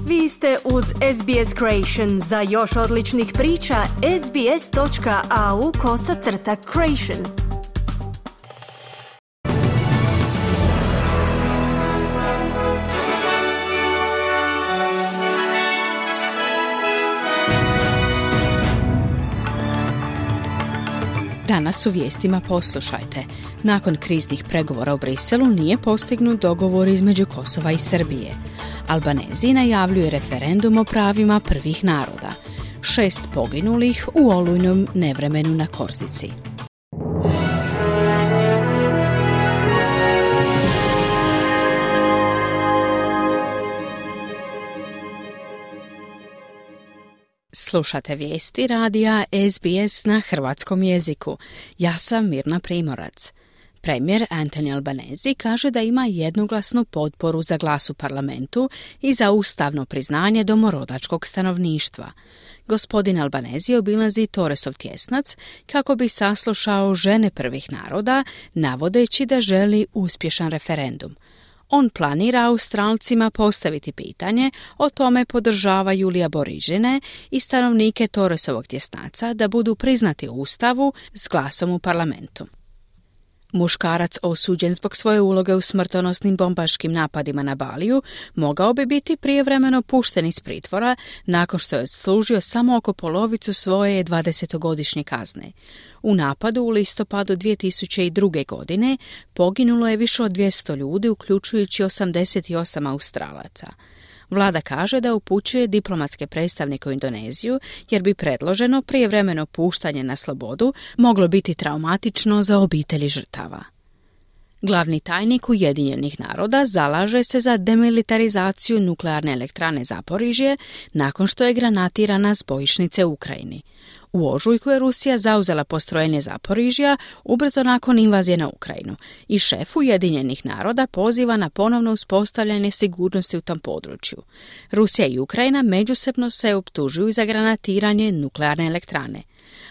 Vi ste uz SBS Creation. Za još odličnih priča, sbs.au/creation. Danas u vijestima poslušajte. Nakon kriznih pregovora u Briselu nije postignut dogovor između Kosova i Srbije. Albanezi najavljuju referendum o pravima prvih naroda. 6 poginulih u olujnom nevremenu na Korzici. Slušate vijesti radija SBS na hrvatskom jeziku. Ja sam Mirna Primorac. Premijer Anthony Albanese kaže da ima jednoglasnu potporu za glas u parlamentu i za ustavno priznanje domorodačkog stanovništva. Gospodin Albanese obilazi Torresov tjesnac kako bi saslušao žene prvih naroda, navodeći da želi uspješan referendum. On planira Australcima postaviti pitanje o tome podržavaju li Aborižine i stanovnike Torresovog tjesnaca da budu priznati u Ustavu s glasom u parlamentu. Muškarac osuđen zbog svoje uloge u smrtonosnim bombaškim napadima na Baliju mogao bi biti prijevremeno pušten iz pritvora nakon što je odslužio samo oko polovicu svoje 20-godišnje kazne. U napadu u listopadu 2002. godine poginulo je više od 200 ljudi, uključujući 88 Australaca. Vlada kaže da upućuje diplomatske predstavnike u Indoneziju jer bi predloženo prijevremeno puštanje na slobodu moglo biti traumatično za obitelji žrtava. Glavni tajnik Ujedinjenih naroda zalaže se za demilitarizaciju nuklearne elektrane Zaporižje nakon što je granatirana s bojišnice u Ukrajini. U ožujku je Rusija zauzela postrojenje Zaporižja ubrzo nakon invazije na Ukrajinu i šef Ujedinjenih naroda poziva na ponovno uspostavljanje sigurnosti u tom području. Rusija i Ukrajina međusobno se optužuju za granatiranje nuklearne elektrane.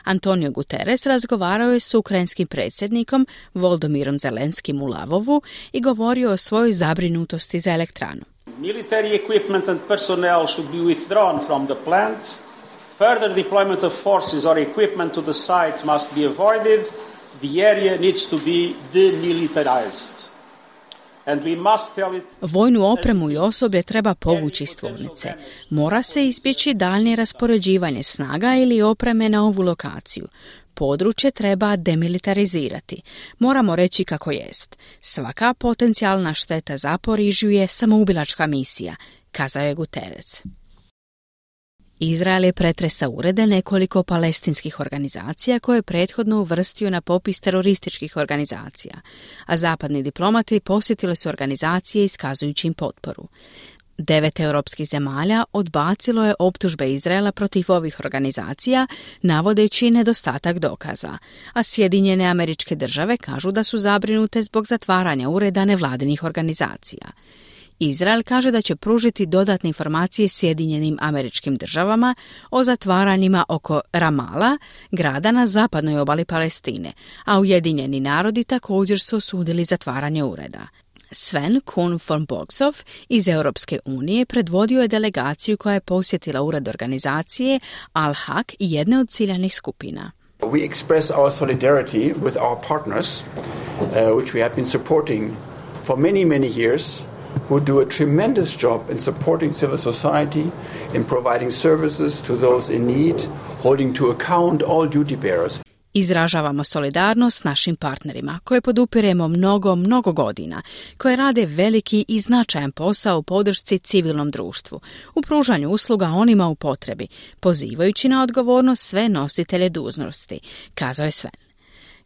Antonio Guterres razgovarao je s ukrajinskim predsjednikom Volodymyrom Zelenskim u Lavovu i govorio o svojoj zabrinutosti za elektranu. Military equipment and personnel should be withdrawn from the plant. Further deployment of forces or equipment to the site must be avoided. The area needs to be demilitarized. And we must tell it... Vojnu opremu i osoblje treba povući iz tvornice. Mora se izbjeći daljnje raspoređivanje snaga ili opreme na ovu lokaciju. Područje treba demilitarizirati. Moramo reći kako jest. Svaka potencijalna šteta Zaporižju je samoubilačka misija, kazao je Guterres. Izrael je pretresao urede nekoliko palestinskih organizacija koje je prethodno uvrstio na popis terorističkih organizacija, a zapadni diplomati posjetili su organizacije iskazujući im potporu. 9 europskih zemalja odbacilo je optužbe Izraela protiv ovih organizacija, navodeći nedostatak dokaza, a Sjedinjene Američke Države kažu da su zabrinute zbog zatvaranja ureda nevladinih organizacija. Izrael kaže da će pružiti dodatne informacije Sjedinjenim Američkim Državama o zatvaranjima oko Ramala, grada na zapadnoj obali Palestine, a Ujedinjeni narodi također su osudili zatvaranje ureda. Sven Kuhn von Bogsov iz Europske unije predvodio je delegaciju koja je posjetila ured organizacije Al-Haq i jedne od ciljanih skupina. We express our solidarity with our partners, which we have been supporting for many years, who do a tremendous job in supporting civil society, in providing services to those in need, holding to account all duty bearers. Izražavamo solidarnost s našim partnerima, koje podupiremo mnogo godina, koje rade veliki i značajan posao u podršci civilnom društvu, u pružanju usluga onima u potrebi, pozivajući na odgovornost sve nositelje dužnosti, kazao je Sven.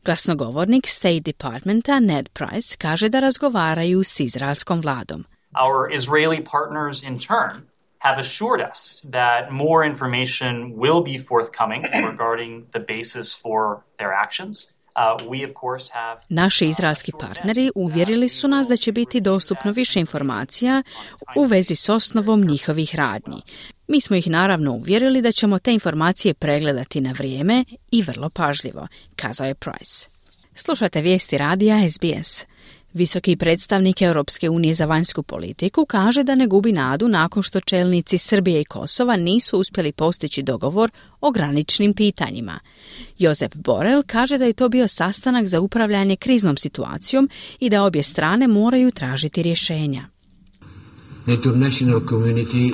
Glasnogovornik State Departmenta Ned Price kaže da razgovaraju s izraelskom vladom. Our Israeli partners in turn have assured us that more information will be forthcoming regarding the basis for their actions. Naši izraelski partneri uvjerili su nas da će biti dostupno više informacija u vezi s osnovom njihovih radnji. Mi smo ih naravno uvjerili da ćemo te informacije pregledati na vrijeme i vrlo pažljivo, kazao je Price. Slušate vijesti radija SBS. Visoki predstavnik Europske unije za vanjsku politiku kaže da ne gubi nadu nakon što čelnici Srbije i Kosova nisu uspjeli postići dogovor o graničnim pitanjima. Josep Borrell kaže da je to bio sastanak za upravljanje kriznom situacijom i da obje strane moraju tražiti rješenja. The international community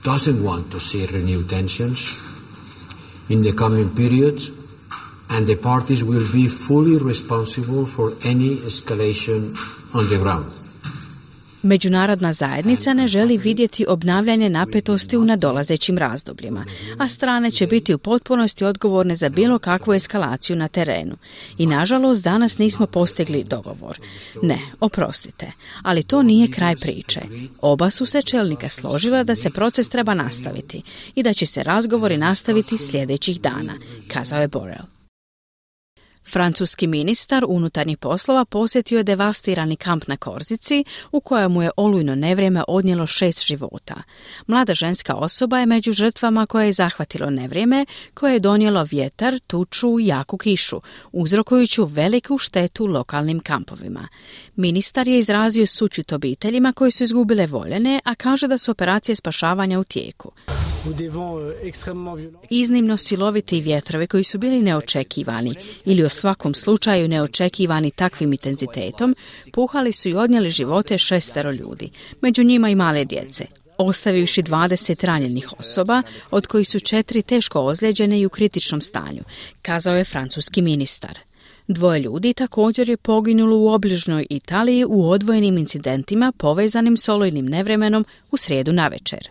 doesn't want to see renewed tensions in the coming periods, and the parties will be fully responsible for any escalation on the ground. Međunarodna zajednica ne želi vidjeti obnavljanje napetosti u nadolazećim razdobljima, a strane će biti u potpunosti odgovorne za bilo kakvu eskalaciju na terenu. I nažalost danas nismo postigli dogovor. Ne, oprostite, ali to nije kraj priče. Oba su se čelnika složila da se proces treba nastaviti i da će se razgovori nastaviti sljedećih dana, kazao je Borrell. Francuski ministar unutarnjih poslova posjetio je devastirani kamp na Korzici u kojemu je olujno nevrijeme odnijelo 6 života. Mlada ženska osoba je među žrtvama koje je zahvatilo nevrijeme, koje je donijelo vjetar, tuču i jaku kišu, uzrokujući veliku štetu lokalnim kampovima. Ministar je izrazio sućut obiteljima koji su izgubile voljene, a kaže da su operacije spašavanja u tijeku. Iznimno siloviti vjetrovi koji su bili neočekivani ili u svakom slučaju neočekivani takvim intenzitetom, puhali su i odnijeli živote 6 ljudi, među njima i male djece, ostavivši 20 ranjenih osoba, od kojih su 4 teško ozlijeđene i u kritičnom stanju, kazao je francuski ministar. 2 ljudi također je poginulo u obližnjoj Italiji u odvojenim incidentima povezanim s olujnim nevremenom u srijedu navečer.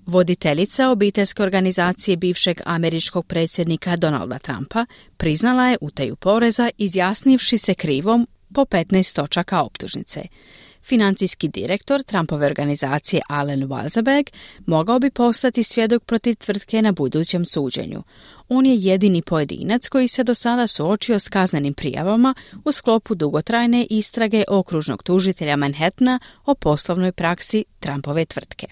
Voditeljica obiteljske organizacije bivšeg američkog predsjednika Donalda Trumpa priznala je utaju poreza izjasnivši se krivom po 15 točaka optužnice. Financijski direktor Trumpove organizacije Allen Walzenberg mogao bi postati svjedok protiv tvrtke na budućem suđenju. On je jedini pojedinac koji se do sada suočio s kaznenim prijavama u sklopu dugotrajne istrage okružnog tužitelja Manhattana o poslovnoj praksi Trumpove tvrtke.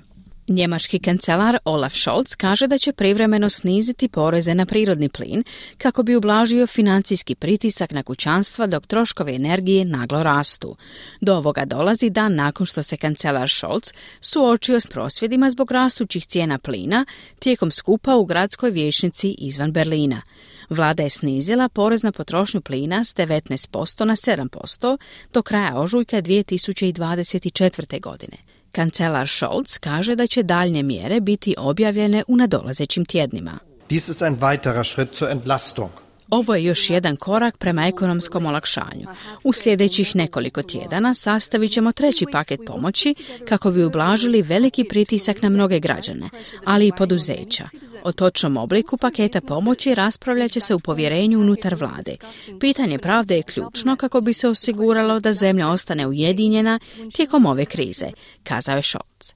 Njemački kancelar Olaf Scholz kaže da će privremeno sniziti poreze na prirodni plin kako bi ublažio financijski pritisak na kućanstva dok troškovi energije naglo rastu. Do ovoga dolazi dan nakon što se kancelar Scholz suočio s prosvjedima zbog rastućih cijena plina tijekom skupa u gradskoj vijećnici izvan Berlina. Vlada je snizila porez na potrošnju plina s 19% na 7% do kraja ožujka 2024. godine. Kancelar Scholz kaže da će daljnje mjere biti objavljene u nadolazećim tjednima. Dies ist ein weiterer Schritt zur Entlastung. Ovo je još jedan korak prema ekonomskom olakšanju. U sljedećih nekoliko tjedana sastavit ćemo 3. paket pomoći kako bi ublažili veliki pritisak na mnoge građane, ali i poduzeća. O točnom obliku paketa pomoći raspravljat će se u povjerenju unutar vlade. Pitanje pravde je ključno kako bi se osiguralo da zemlja ostane ujedinjena tijekom ove krize, kazao je Scholz.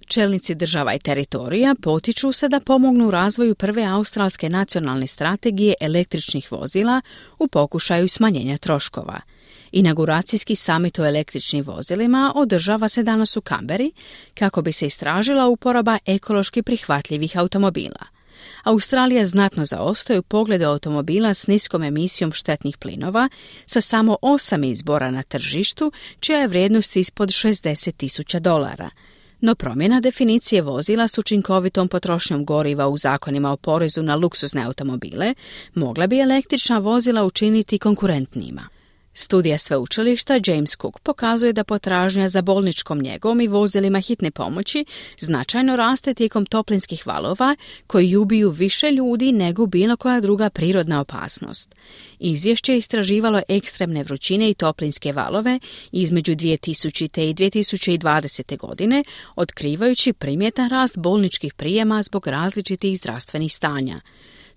Čelnici država i teritorija potiču se da pomognu u razvoju prve australske nacionalne strategije električnih vozila u pokušaju smanjenja troškova. Inauguracijski samit o električnim vozilima održava se danas u Kamberi kako bi se istražila uporaba ekološki prihvatljivih automobila. Australija znatno zaostaje u pogledu automobila s niskom emisijom štetnih plinova sa samo 8 izbora na tržištu, čija je vrijednost ispod $60,000. No promjena definicije vozila s učinkovitom potrošnjom goriva u zakonima o porezu na luksuzne automobile mogla bi električna vozila učiniti konkurentnijima. Studija sveučilišta James Cook pokazuje da potražnja za bolničkom njegom i vozilima hitne pomoći značajno raste tijekom toplinskih valova koji ubiju više ljudi nego bilo koja druga prirodna opasnost. Izvješće je istraživalo ekstremne vrućine i toplinske valove između 2000. i 2020. godine, otkrivajući primjetan rast bolničkih prijema zbog različitih zdravstvenih stanja.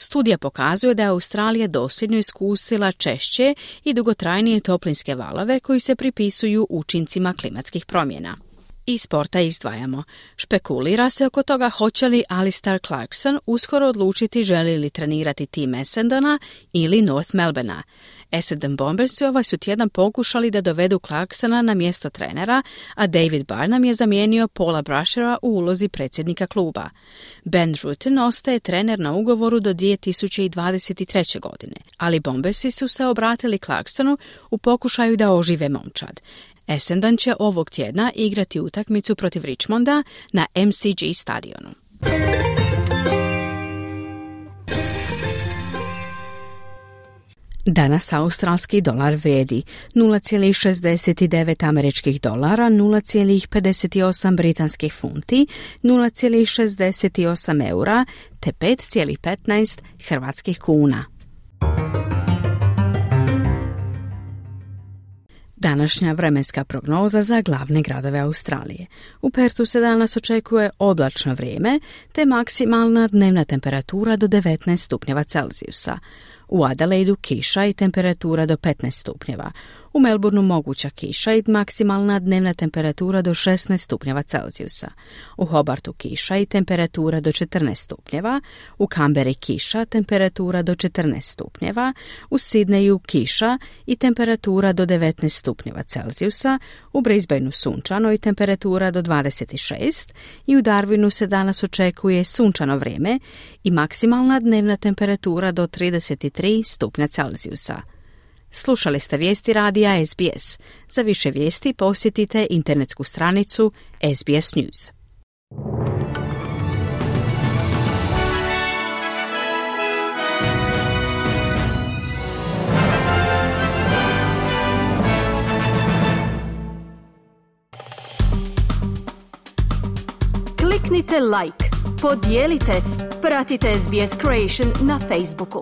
Studija pokazuje da je Australija dosljedno iskusila češće i dugotrajnije toplinske valove koji se pripisuju učincima klimatskih promjena. I sporta izdvajamo. Špekulira se oko toga hoće li Alistair Clarkson uskoro odlučiti želi li trenirati tim Essendona ili North Melbournea. Essendon Bombersi ovaj su tjedan pokušali da dovedu Clarksona na mjesto trenera, a David Barnum je zamijenio Paula Brushera u ulozi predsjednika kluba. Ben Rutten ostaje trener na ugovoru do 2023. godine, ali Bombersi su se obratili Clarksonu u pokušaju da ožive momčad. Essendon će ovog tjedna igrati utakmicu protiv Richmonda na MCG stadionu. Danas australski dolar vrijedi 0,69 američkih dolara, 0,58 britanskih funti, 0,68 eura te 5,15 hrvatskih kuna. Današnja vremenska prognoza za glavne gradove Australije. U Perthu se danas očekuje oblačno vrijeme te maksimalna dnevna temperatura do 19 stupnjeva Celzijusa. U Adelaidu kiša i temperatura do 15 stupnjeva. U Melbourneu moguća kiša i maksimalna dnevna temperatura do 16 stupnjeva Celzijusa. U Hobartu kiša i temperatura do 14 stupnjeva. U Canberri kiša, temperatura do 14 stupnjeva. U Sidneju kiša i temperatura do 19 stupnjeva Celzijusa. U Brisbaneu sunčano i temperatura do 26. I u Darwinu se danas očekuje sunčano vrijeme i maksimalna dnevna temperatura do 33 stupnja Celzijusa. Slušali ste vijesti radija SBS. Za više vijesti posjetite internetsku stranicu SBS News. Kliknite like, podijelite, pratite SBS Creation na Facebooku.